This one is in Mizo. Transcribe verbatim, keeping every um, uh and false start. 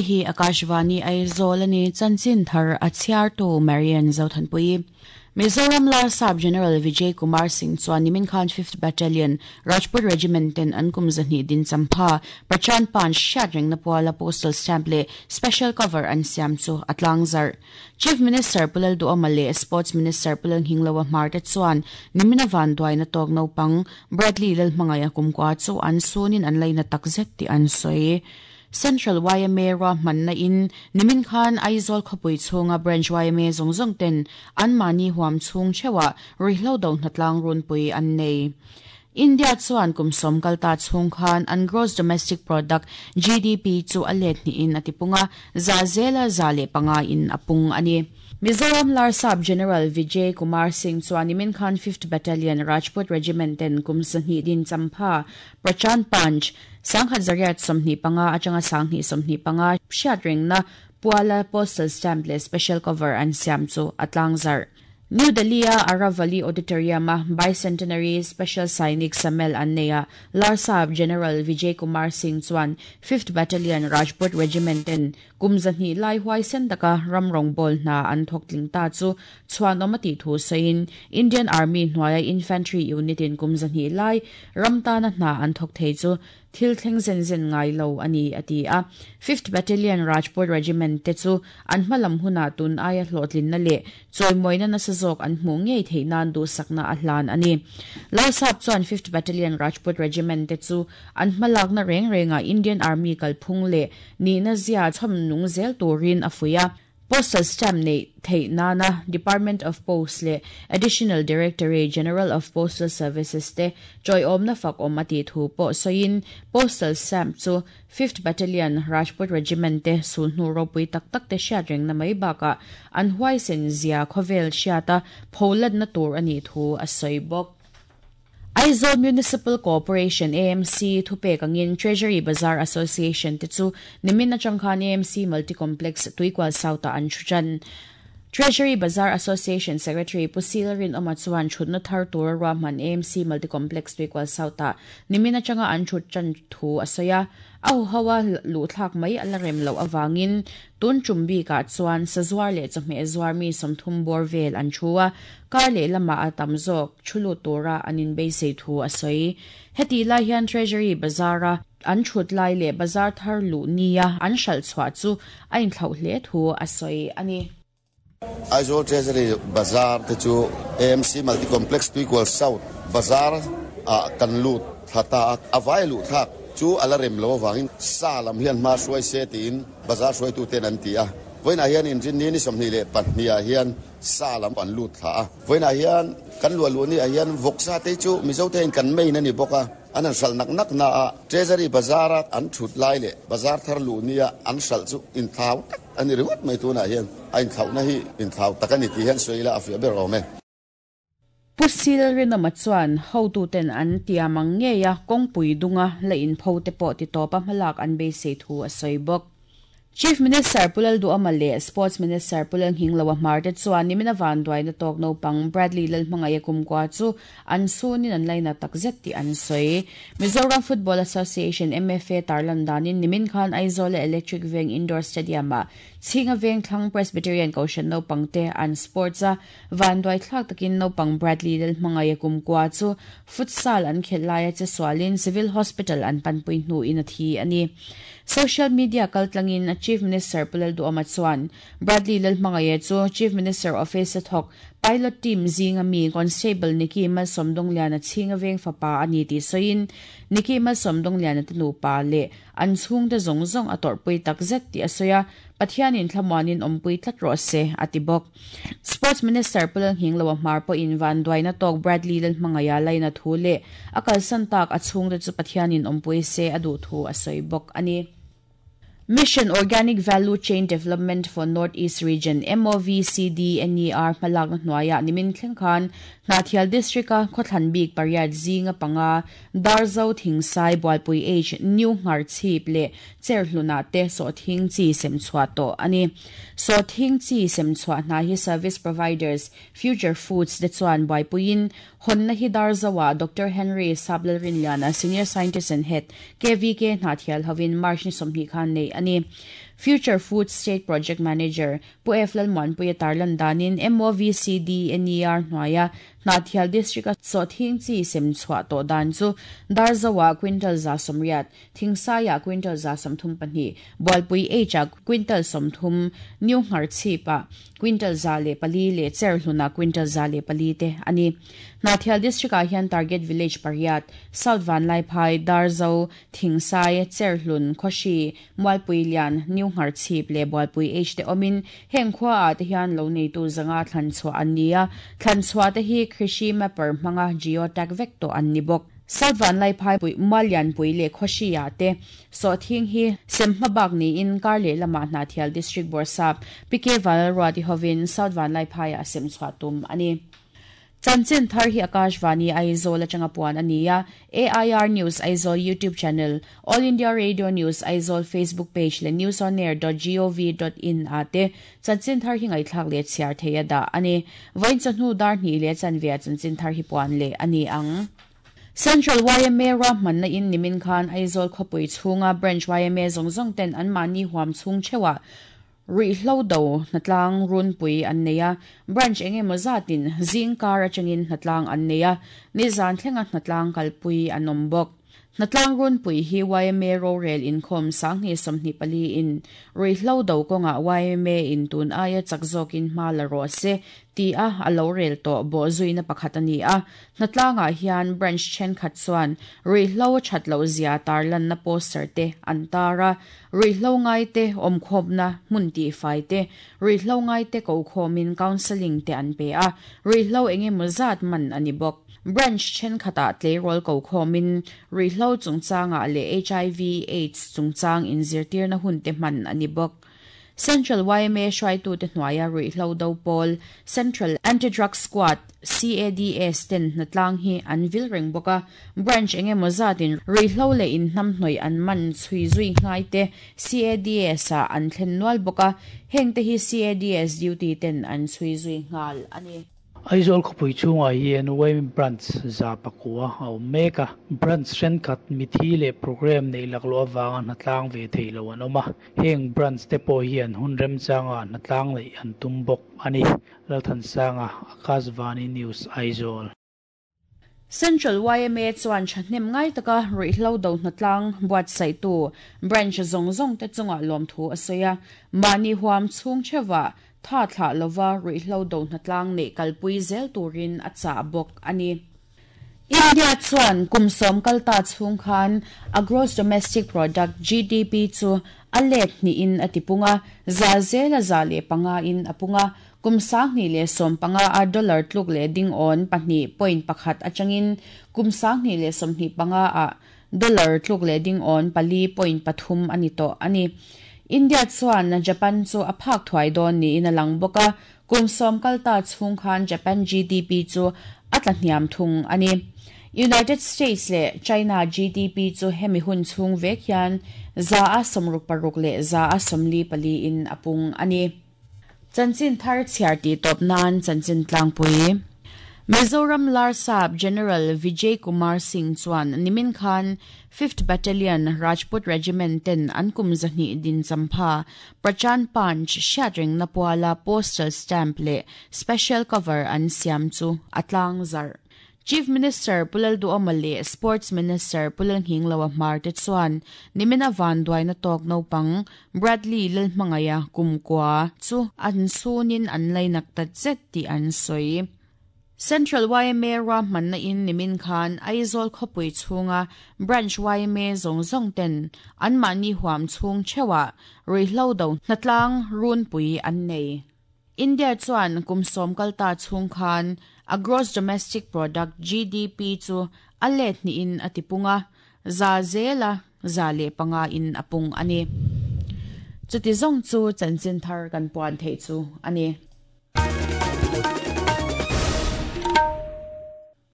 Hei hi Akashvani Aizawl ani chanchin thar a chhiartu Marian Zothanpui. Mizoram Larsap General Vijay Kumar Singh chuan nimin khan fifth Battalion Rajput Regiment ten an kum zahnih din champha Prachand Panch hriat rengna puala postal stamp leh special cover an siam chu a tlang zarh. Chief Minister Pulal Duhoma leh Sports Minister Pulal Hingloa Hmar te chuan nimina van duaina tawk naupang Bradley Lalhmangaia kumkua chu an sunin an laina takzet tih an sawi. Central Y M A ra manna in nimin khan Aizawl khawpui chhunga branch Y M A zawng zawng ten an mahni huam chhung theuha ruihhlo do hnatlang runpui an nei. India chuan kum sawm kalta chhung khan an gross domestic product G D P chu a let ni in atipunga za zela za le panga in apung ani. Mizoram Larsap General Vijay Kumar Singh chuan nimin khan fifth Battalion Rajput Regiment ten kum sahnih din champha Prachand Panch sangkhat zariat sawmhnih panga atanga sanghnih sawmhnih panga hriat rengna puala postal stamp leh special cover an siam chu a tlang zarh. New Delhi a Aravali Auditorium a Bicentenary Special Sainik Samel an neia Larsap General Vijay Kumar Singh chuan fifth Battalion Rajput Regiment ten kum zahnih lai huai sen taka ramrong bol hna an thawk tling ta chu chuan awm a tih thu sawiin Indian Army hnuaia Infantry Unit in kum zahnih lai ram tana hna an thawk thei chu thil thleng zen zen ngai lo ani ati a. fifth Battalion Rajput Regiment te chu an hmalam huna tun aia hlawhtlin na leh chawimawina nasa zawk an hmuh ngei theih nan duhsakna a hlan ani. Larsap chuan fifth Battalion Rajput Regiment te chu an hmalakna reng renga Indian Army kalphung leh nihna zia chhawm nung zel turin a fuia. Postal stamp nei theih nana Department of Post le Additional Directorate General of Postal Services te chawiawmna fak awm a tih thu pawh sawiin postal stamp chu fifth Battalion Rajput Regiment te sulhnu ropui tak tak te hriat rengna mai bakah an huaisen zia khawvel hriata pholatna tur ani thu a sawi bawk. Aizawl Municipal Corporation A M C thupek angin Treasury Bazaar Association te chu nimin atang khan A M C Multicomplex Tuikwal South an thuchan. Treasury Bazaar Association Secretary Pusil Rin Oma chuan thutna thar tur rahman A M C Multicomplex Tuikwal South nimin atanga an thut chan thu asaya au hawa lu thlak mai ala rem lo awangin tun chumbi ka chuan sazuar le chawhmeh zuar mi sawmthum bawr vel an thua kar leh lama a tam zawk thulu tura anin beisei thu a sawi. Heti lai hian Treasury Bazaar an thut lai leh bazar thar lu nia an hral chhuah chu a inthlauh hle thu a sawi ani. Aizawl Treasury Bazaar te chu A M C Multicomplex Tuikwal South Bazaar a kan lut thata awai lu thak chu ala rem lo wangin sa lam hian ma hruai se tiin bazar hruai tu ten an ti a. Voina hian in rin ni ni sawmhnih leh pahnih ah hian sa lam an lut thla a. Voina hian kan lua lu ni ah hian vawksa te chu Mizo te in kan main ani bawk a. An an hral nak nak na a Treasury Bazaar a an thut lai leh bazar thar lu nia an hral chu in thau tak ani ringawt mai tunah hian a inthlauhna hi inthlau tak ani tih hian sawi ila a fiah ber awm e. Pusil Rinoma chuan hotu ten an tiamang ngeia kawngpui dunga la in pho te pawh ti tawpa hmalak an beisei thu a sawi bawk. Chief Minister Pulal Duhoma leh Sports Minister Pulal Hingloa Hmar te chuan nimina van duaina tawk naupang Bradley Lalhmangaia kumkua chu an sunin an laina takzet tih an sawi. Mizoram Football Association M F A tarlan danin nimin khan Aizawl Electric Veng Indoor Stadium a Chhinga Veng Thlang Presbyterian Kohhran naupang te an sports a van duai thlak takin naupang Bradley Lalhmangaia kumkua chu futsal an khel laia che sualin Civil Hospital an panpui hnu in a thi ani. Social media kaltlangin a Chief Minister Pulal Duhoma chuan Bradley Lalhmangaia chu Chief Minister Office thawk pilot team zinga mi Constable Nikki Malsawmdawngliana Chhinga Veng fapa ani tih sawiin Nikki Malsawmdawngliana te nupa leh an chhungte zawng zawng a tawrhpui takzet tih a sawi a. Pathianin thlamuanin awmpui tlat rawh se a ti bawk. Sports Minister Pulal Hingloa Hmar pawhin van duaina tawk Bradley Lalhmangaia laina thu leh a kalsan tak a chhungte chu Pathianin awmpui se a duh thu a sawi bawk ani. Mission Organic Value Chain Development for Northeast Region M O V C D N E R hmalakna hnuaia nimin thleng khan Hnahthial District a khawthlan bik pariat zinga panga Darzo Thingsai Bualpui H New Ngharchhip leh Cherhluna te sawhthing chi sem chhuah tawh ani. Sawhthing chi sem chhuah hna hi service providers Future Foods te chuan buaipuiin honna hi Darzoa Doctor Henry Sablalrinliana Senior Scientist and Head K V K Hnahthial hovin March ni sawmhnih khan nei ani. Future Food State Project Manager Pu F Lalmuanpuia tarlan danin M O V C D N E R hnuaia Hnahthial District a sawhthing chi sem chhuah tawh dan chu Darzawa quintal za sawmriat, Thingsaia quintal za sawmthum pahnih, Bualpui H a quintal sawmthum, New Ngharchhipa quintal za leh pali leh Cherhluna quintal za leh pali te ani. Hnahthial District ah hian target village pariat, South Vanlaiphai, Darzo, Thingsai, Cherhlun, Khawhri, Mualpui Lian, New Ngharchhip leh Bualpui H te awmin heng khua ah te hian lo neitu zanga thlan chhuah an ni a, thlan chhuah te hi Krishi Mapper hmanga geotag vek tawh an ni bawk. South Vanlaiphai pui Muallian pui leh Khawhri ah te sawhthing hi sem hmabak niin kar leh lamah Hnahthial District Bawrhsap P K Vanlalruati hovin South Vanlaiphai ah sem chhuah tum ani. Chanchin thar hi Akashvani Aizawl atanga puan ani a, A I R News Aizawl YouTube channel, All India Radio News Aizawl Facebook page leh newsonair dot gov dot in ate chanchin thar hi ngaithlak leh chhiar theia dah ani. Vawiin chawhnu dar hnih leh chanve chanchin thar hi puan leh ani ang. Central Y M A ruahmanna in nimin khan Aizawl khawpui chhunga branch Y M A zawng zawng ten an mahni huam chhung theuhah ruihhlo do hnatlang runpui an nei a, branch engemaw zatin zing kar atangin hnatlang an nei a, nizan thlenga hnatlang kalpui an awm bawk. Hnatlang runpui hi Y M A rorel inkhawm sanghnih sawmhnih pali in ruihhlo do kawnga Y M A in tun aia chak zawkin hma la rawh se ti a a lo rel tawh bawh zuina pakhat ani a. Hnatlangah hian branch thenkhat chuan ruihhlo that loh zia tarlanna poster te an tar a, ruihhlo ngai te awmkhawmna hmun tih fai te, ruihhlo ngai te ko khawmin counselling te an pe a, ruihhlo engemaw zat man ani bawk. Branch thenkhatah tleirawl ko khawmin ruihhlo chungchangah leh H I V AIDS chungchang inzirtirna hun te hman ani bawk. Central Y M A hruaitu te hnuaia ruihhlo do pawl Central Anti-Drug Squad C A D S ten hnatlang hi an vil reng bawk a, branch engemaw zatin ruihhlo leh inhnam hnawih an man chhui zui ngai te C A D S ah an thlen nual bawk a, heng te hi C A D S duty ten an chhui zui nghal ani. Aizawl khawpui chhungah hian Y M A branch za pakua a awm mek a, branch thenkhat mithi leh program nei laklawh avanga hnatlang ve thei lo an awm a, heng branch te pawh hian hun remchanga hnatlang neih an tum bawk ani. Lalthansanga, Akashvani News, Aizawl. Central Y M A chuan thahnem ngai taka ruihhlo do hnatlang buatsaihtu branch zawng zawng te chunga lawmthu a sawi a, mahni huam chhung thewa tha thla lova ruihhlo do hnatlang nei kalpui zel turin a chah bawk ani. India chuan kum sawm kalta chhung khan a gross domestic product G D P chu a let hnihin a tipunga, za zela za leh panga in a punga, kum sanghnih leh sawm panga a dollar tluk leh ding on pahnih point pakhat atangin kum sanghnih leh sawmhnih panga a dollar tluk leh ding on pali point pathum ani tawh ani. India chuan Japan chu a phak thuai dawn niin a lang bawk a, kum sawm kalta chhung khan Japan G D P chu a tla hniam thung ani. United States leh China G D P chu hemi hun chhung vek hian za a sawmruk paruk leh za a sawmli pali in a pung ani. Chanchin thar chhiar ti tawp nan chanchin tlangpui. Mizoram Larsap General Vijay Kumar Singh chuan nimin khan fifth Battalion Rajput Regiment ten an kum zahnih din champha Prachan Panch hriatreng na puala postal stamp leh special cover an siam chu atlang zar. Chief Minister Pulal Duoma leh Sports Minister Pulal Hinglawa Hmar te chuan nimina van duaina tawk naupang Bradley Lalhmangaya kumkua chu an sunin an lainak ta zet tih an sawi. Central Y M A ruahmanna in nimin khan Aizawl khawpui chhunga branch Y M A zawng zawng ten an mahni huam chhung theuhah ruihhlo do hnatlang runpui an nei. India chuan kum sawm kalta chhung khan a gross domestic product G D P chu a let hnihin a tipunga, za zela za leh panga in a pung ani. Chuti zawng chu chanchin thar kan puan theih chu ani.